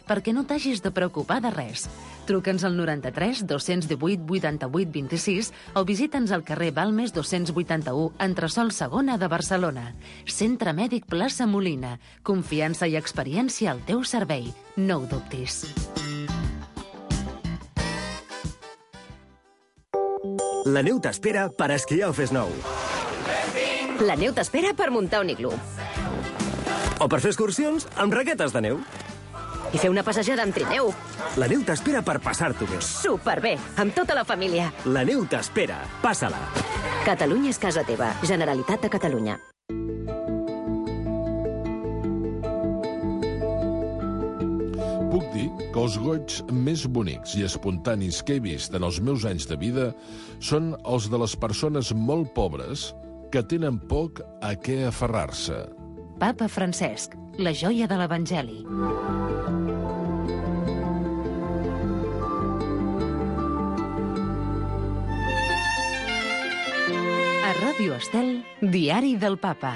perquè no t'hagis de preocupar de res. Truca'ns al 93 218 88 26 o visita'ns al carrer Balmes 281, entresòl segona de Barcelona. Centre Mèdic Plaça Molina. Confiança i experiència al teu servei. No ho dubtis. La neu t'espera per esquiar al Fes Nou. La neu t'espera per muntar un iglú. O per fer excursions amb raquetes de neu. I fer una passejada amb trineu. La neu t'espera per passar-t'ho bé. Superbé, amb tota la família. La neu t'espera. Passa-la. Catalunya és casa teva. Generalitat de Catalunya. Puc dir que els goigs més bonics i espontanis que he vist en els meus anys de vida són els de les persones molt pobres que tenen poc a què aferrar-se. Papa Francesc, la joia de l'Evangeli. A Ràdio Estel, Diari del Papa.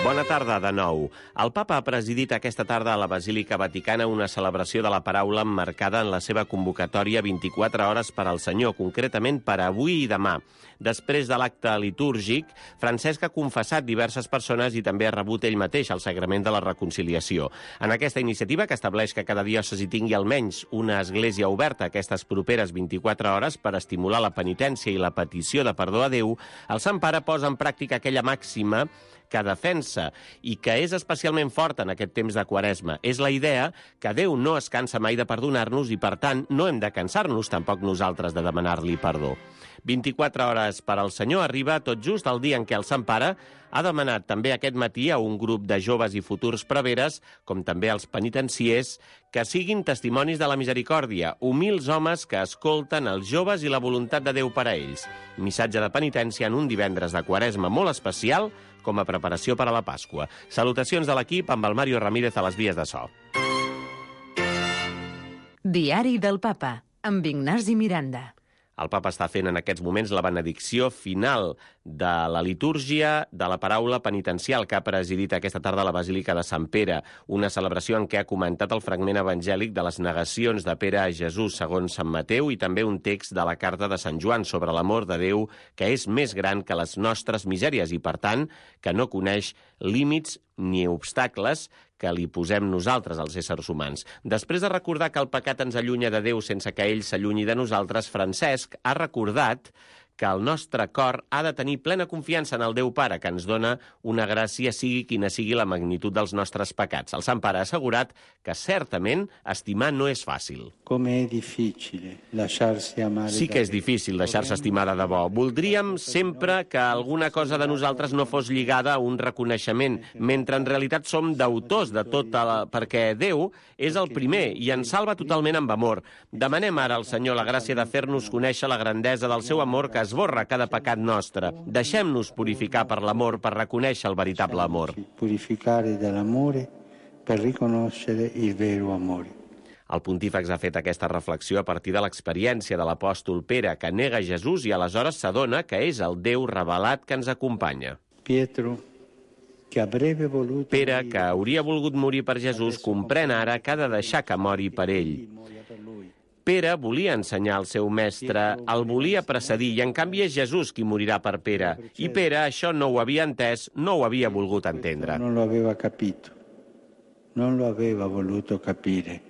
Bona tarda de nou. El papa ha presidit aquesta tarda a la Basílica Vaticana una celebració de la paraula emmarcada en la seva convocatòria 24 hores per al Senyor, concretament per avui i demà. Després de l'acte litúrgic, Francesc ha confessat diverses persones i també ha rebut ell mateix el sagrament de la reconciliació. En aquesta iniciativa, que estableix que cada diòcesi tingui almenys una església oberta aquestes properes 24 hores per estimular la penitència i la petició de perdó a Déu, el Sant Pare posa en pràctica aquella màxima que defensa i que és especialment forta en aquest temps de Quaresma. És la idea que Déu no es cansa mai de perdonar-nos i, per tant, no hem de cansar-nos tampoc nosaltres de demanar-li perdó. 24 hores per al Senyor arriba tot just el dia en què el Sant Pare ha demanat també aquest matí a un grup de joves i futurs preveres, com també als penitenciers, que siguin testimonis de la misericòrdia, humils homes que escolten els joves i la voluntat de Déu per a ells. Missatge de penitència en un divendres de Quaresma molt especial com a preparació per a la Pasqua. Salutacions de l'equip amb el Mario Ramírez a les vies de so. Diari del Papa, amb Ignasi Miranda. El papa està fent en aquests moments la benedicció final de la litúrgia de la paraula penitencial que ha presidit aquesta tarda a la Basílica de Sant Pere, una celebració en què ha comentat el fragment evangèlic de les negacions de Pere a Jesús segons Sant Mateu i també un text de la carta de Sant Joan sobre l'amor de Déu que és més gran que les nostres misèries i, per tant, que no coneix límits ni obstacles que li posem nosaltres, els éssers humans. Després de recordar que el pecat ens allunya de Déu sense que ell s'allunyi de nosaltres, Francesc ha recordat que el nostre cor ha de tenir plena confiança en el Déu Pare, que ens dona una gràcia sigui quina sigui la magnitud dels nostres pecats. El Sant Pare ha assegurat que certament estimar no és fàcil. Sí que és difícil deixar-se estimar de debò. Voldríem sempre que alguna cosa de nosaltres no fos lligada a un reconeixement, mentre en realitat som deutors de tot, perquè Déu és el primer i ens salva totalment amb amor. Demanem ara al Senyor la gràcia de fer-nos conèixer la grandesa del seu amor que esborra cada pecat nostre. Deixem-nos purificar per l'amor per reconèixer el veritable amor. Purificare dall'amore per riconoscere il vero amore. El pontífex ha fet aquesta reflexió a partir de l'experiència de l'apòstol Pere, que nega Jesús i aleshores s'adona que és el Déu revelat que ens acompanya. Pere, que hauria volgut morir per Jesús, comprèn ara que ha de deixar que mori per ell. Pere volia ensenyar al seu mestre, el volia precedir, i en canvi és Jesús qui morirà per Pere. I Pere això no ho havia entès, no ho havia volgut entendre. Non lo aveva capito, non lo aveva voluto capire.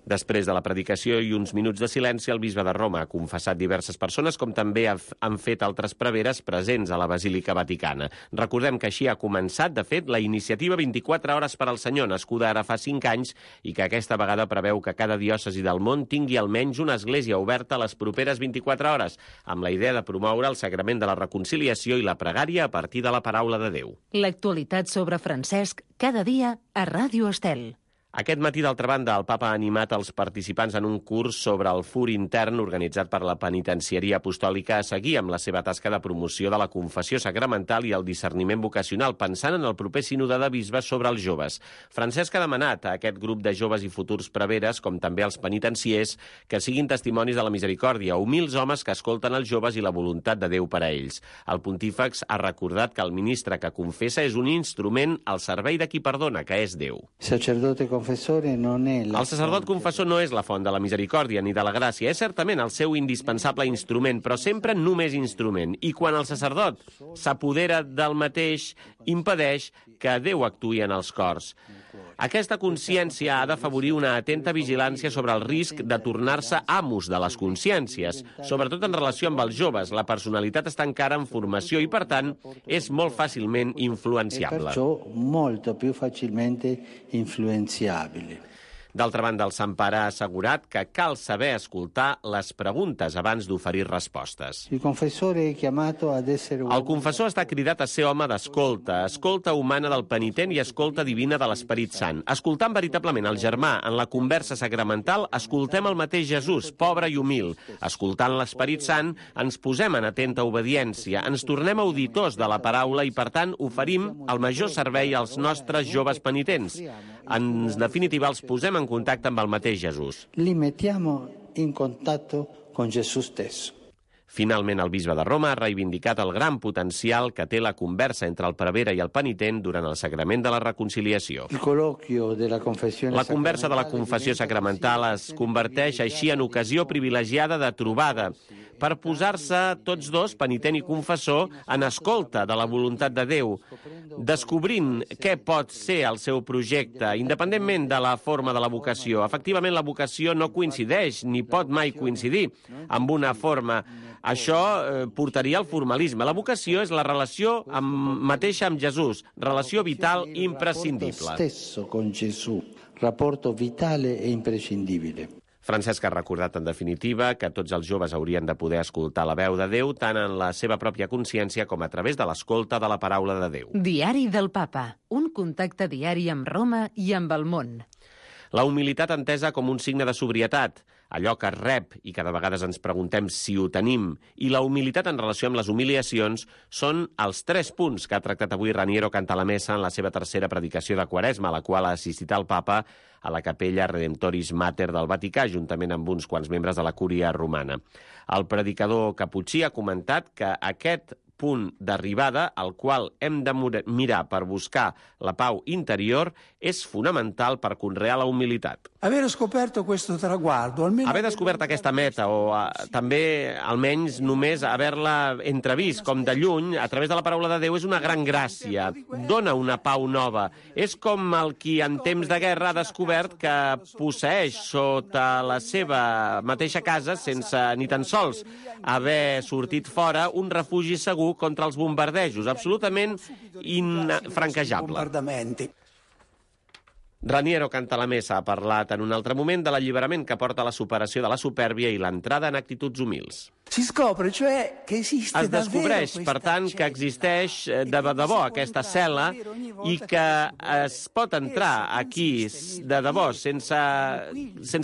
Després de la predicació i uns minuts de silenci, el bisbe de Roma ha confessat diverses persones, com també han fet altres preveres presents a la Basílica Vaticana. Recordem que així ha començat, de fet, la iniciativa 24 hores per al Senyor, nascuda ara fa 5 anys, i que aquesta vegada preveu que cada diòcesi del món tingui almenys una església oberta a les properes 24 hores, amb la idea de promoure el sagrament de la reconciliació i la pregària a partir de la paraula de Déu. L'actualitat sobre Francesc, cada dia a Ràdio Estel. Aquest matí, d'altra banda, el papa ha animat els participants en un curs sobre el fur intern organitzat per la Penitenciaria Apostòlica a seguir amb la seva tasca de promoció de la confessió sacramental i el discerniment vocacional, pensant en el proper sínode de bisbes sobre els joves. Francesc ha demanat a aquest grup de joves i futurs preveres, com també als penitenciers, que siguin testimonis de la misericòrdia, humils homes que escolten els joves i la voluntat de Déu per a ells. El pontífex ha recordat que el ministre que confessa és un instrument al servei de qui perdona, que és Déu. Sacerdote confessore non è la El sacerdot confessor no és la font de la misericòrdia ni de la gràcia. És certament el seu indispensable instrument, però sempre només instrument. I quan el sacerdot s'apodera del mateix, impedeix que Déu actuï en els cors. Aquesta consciència ha d'afavorir una atenta vigilància sobre el risc de tornar-se amos de les consciències, sobretot en relació amb els joves. La personalitat està encara en formació i, per tant, és molt fàcilment influenciable. Perciò molto più facilmente influenzabile. D'altra banda, el Sant Pare ha assegurat que cal saber escoltar les preguntes abans d'oferir respostes. Il confessore è chiamato ad essere El confessor està cridat a ser home d'escolta, escolta humana del penitent i escolta divina de l'Esperit Sant. Escoltant veritablement el germà en la conversa sacramental, escoltem el mateix Jesús, pobre i humil. Escoltant l'Esperit Sant, ens posem en atenta obediència, ens tornem auditors de la paraula i, per tant, oferim el major servei als nostres joves penitents. En definitiva, els posem en contacte amb el mateix Jesús. Li mettiamo in contatto con Gesù stesso. Finalment, el bisbe de Roma ha reivindicat el gran potencial que té la conversa entre el prevere i el penitent durant el sacrament de la reconciliació. Il colloquio della confessione La conversa de la confessió sacramental es converteix així en ocasió privilegiada de trobada per posar-se tots dos, penitent i confessor, en escolta de la voluntat de Déu, descobrint què pot ser el seu projecte, independentment de la forma de la vocació. Efectivament, la vocació no coincideix, ni pot mai coincidir amb una forma. Això portaria al formalisme. La vocació és la relació mateixa amb Jesús, relació vital imprescindible. Stesso con Gesù, rapporto vitale e imprescindibile. Francesc ha recordat, en definitiva, que tots els joves haurien de poder escoltar la veu de Déu tant en la seva pròpia consciència com a través de l'escolta de la paraula de Déu. Diari del Papa. Un contacte diari amb Roma i amb el món. La humilitat entesa com un signe de sobrietat, allò que es rep i que de vegades ens preguntem si ho tenim, i la humilitat en relació amb les humiliacions són els 3 punts que ha tractat avui Raniero Cantalamessa en la seva tercera predicació de Quaresma, a la qual ha assistit el papa a la capella Redemptoris Mater del Vaticà, juntament amb uns quants membres de la cúria romana. El predicador caputxí ha comentat que aquest punt d'arribada, al qual hem de mirar per buscar la pau interior, és fonamental per conrear la humilitat. Haver descobert aquesta meta, o també, almenys, només haver-la entrevist, com de lluny, a través de la paraula de Déu, és una gran gràcia. Dona una pau nova. És com el qui en temps de guerra ha descobert que posseeix sota la seva mateixa casa, sense ni tan sols haver sortit fora, un refugi segur contra els bombardejos, absolutament infranquejable. Raniero Cantalamessa ha parlat en un altre moment de l'alliberament que porta a la superació de la supèrbia i l'entrada en actituds humils. Si scopre, cioè, che esiste es descobreix, per tant, que existeix de debò aquesta cel·la i que es pot entrar aquí de debò sense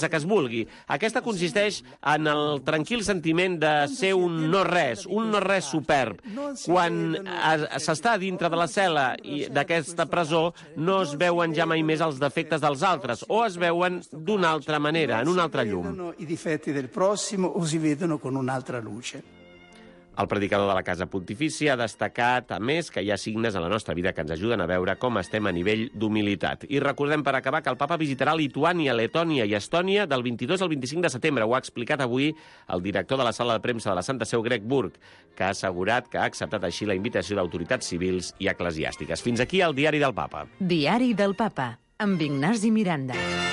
que es vulgui. Aquesta consisteix en el tranquil sentiment de ser un no-res superb. Quan s'està dintre de la cel·la d'aquesta presó, no es veuen ja mai més els defectes dels altres, o es veuen d'una altra manera, en una altra llum. I difetti del prossimo o si vedono con un'altra luce. El predicador de la Casa Pontifícia ha destacat, a més, que hi ha signes en la nostra vida que ens ajuden a veure com estem a nivell d'humilitat. I recordem, per acabar, que el papa visitarà Lituània, Letònia i Estònia del 22 al 25 de setembre. Ho ha explicat avui el director de la sala de premsa de la Santa Seu, Greg Burke, que ha assegurat que ha acceptat així la invitació d'autoritats civils i eclesiàstiques. Fins aquí el Diari del Papa. Diari del Papa, amb Ignasi Miranda.